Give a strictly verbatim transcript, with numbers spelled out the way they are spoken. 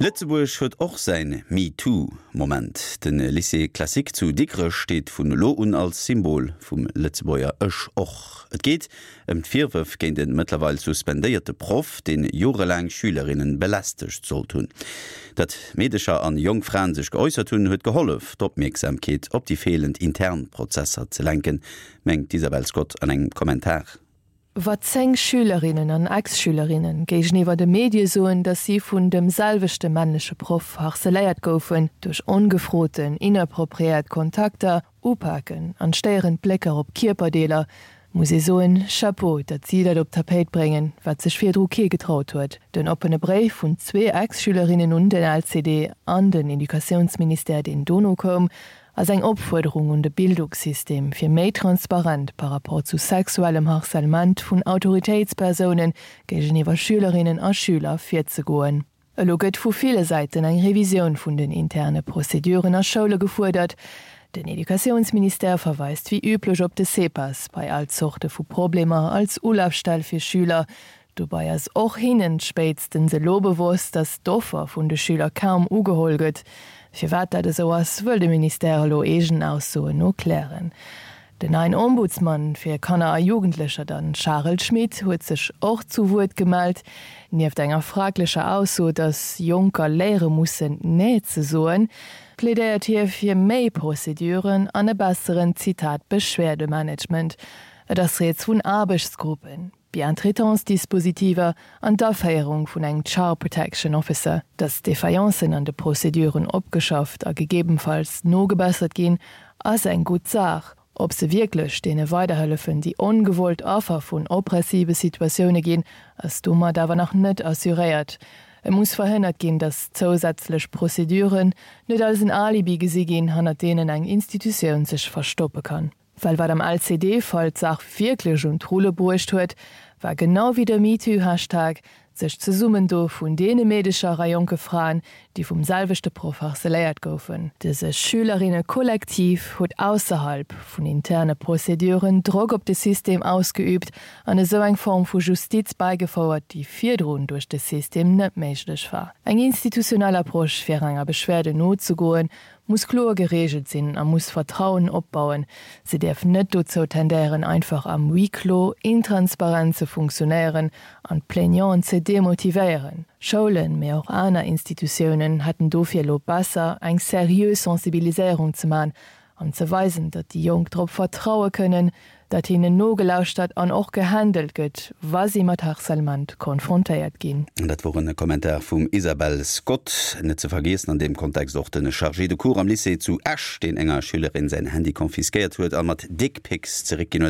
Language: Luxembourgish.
Lëtzebuerg huet och säin MeToo-Moment. Den Lycée Classique zu Dikrech steet vun elo un als Symbol vum Lëtzebuerger Ech och. Et geet ëm d'Virwërf géint de mëttlerweil suspendéierte Proff, deen jorelaang Schülerinnen belästegt sollt hunn. Datt Meedecher an jonk Fraen sech geäussert hunn, huet gehollef, d'Opmierksamkeet op déi feelend intern Prozesser ze lenken, mengt d'Isabel Scott an engem Kommentar. Wa zéng Schülerinnen an Ex-Schülerinnen géigeniwwer de Medie soen, datt si vun dem selwechte männleche Proff harceléiert goufen, duerch ongefroten, inappropriéiert Kontakter, Upaken an stéierend Blécker op Kierperdeeler, muss ee soen, Chapeau, datt si dat op d'Tapéit bréngen, wat sech virdru kee getraut huet. Den oppene Bréif vun zwee Ex-Schülerinnen un den L C D an den Educatiounsministère, deen dono koum, ass eng Opfuerderung un de Bildungssystem, fir méi transparent par rapport zu sexuellem Harcèlement vun Autoritéitspersounen géigeniwwer Schülerinnen a Schüler virzegoen. Elo gëtt vu ville Säiten eng Revisioun vun den interne Prozeduren a Schoule gefuerdert. Den Educatiounsministère verweist wéi üblech op de CEPAS bei all Zorte vu Problemer als Ulafstell fir Schüler. Dobäi ass och hinnen spéitstens elo bewosst, datt d'Offer vun de Schüler kaum ugeholl gëtt. Firwat dat esou ass, wëll de Ministère elo eegenen Aussoen no klären. Den neien Ombudsman fir Kanner a Jugendlecher, den Charel Schmit, huet sech och zu Wuert gemellt. Nieft enger fraglecher Ausso, datt Jonker léiere mussen, Nee ze soen, plädéiert hie fir méi Prozeduren an e besseren, Zitat, Beschwerdemanagement. Et ass rieds vun Aarbechtsgruppen, Bientraitance-Dispositiver an d'Aféierung vun engem Child Protection Officer, datt Defaillanceën an de Prozeduren opgeschafft a gegebenfalls nogebessert ginn, ass eng gutt Saach. Ob se wierklech deene weiderhëllefen, déi ongewollt Affer vun oppressive Situatioune ginn, ass domat awer nach net assuréiert. Et muss verhënnert ginn, datt zousätzlech Prozeduren net als en Alibi gesi ginn, hannert deenen eng Institutioun sech verstoppe kann. Well wat am L C D-Fall d'Saach wierklech un d'Rulle bruecht huet, war genau wéi de MeToo-Hashtag sech Zesummendoe vun deene Meedecher a jonke Fraen, déi vum selwechte Proff harceléiert goufen. Dëse Schülerinne-Kollektiv huet ausserhalb vun interne Prozeduren Drock op de System ausgeüübt an esou eng Form vu Justiz bäigefouert, déi virdrun duerch de System net méiglech war. Eng institutionell Approche fir enger Beschwerde nozegoen, muss kloer gereegelt sinn a muss Vertrauen opbauen. Se däerf net dozou tendéieren, einfach am Huis clos intransparent ze funktionéieren an d'Plaignanten ze demotivéieren. Schoulen, mee och aner Institutiounen hätten dofir elo besser, eng seriö Sensibiliséierung ze man an ze weisen, datt déi Jonk drop vertraue kënnen, datt hinnen nogelauschtert an och gehandelt gëtt, wa si mat Harcèlement konfrontéiert ginn. Dat wor e Kommentar vum Isabel Scott. Net ze vergiessen an deem Kontext och den Chargé de cours am Lycée zu Esch, deen enger Schülerin säin Handy konfiskéiert huet a mat Dickpics zeréckginn.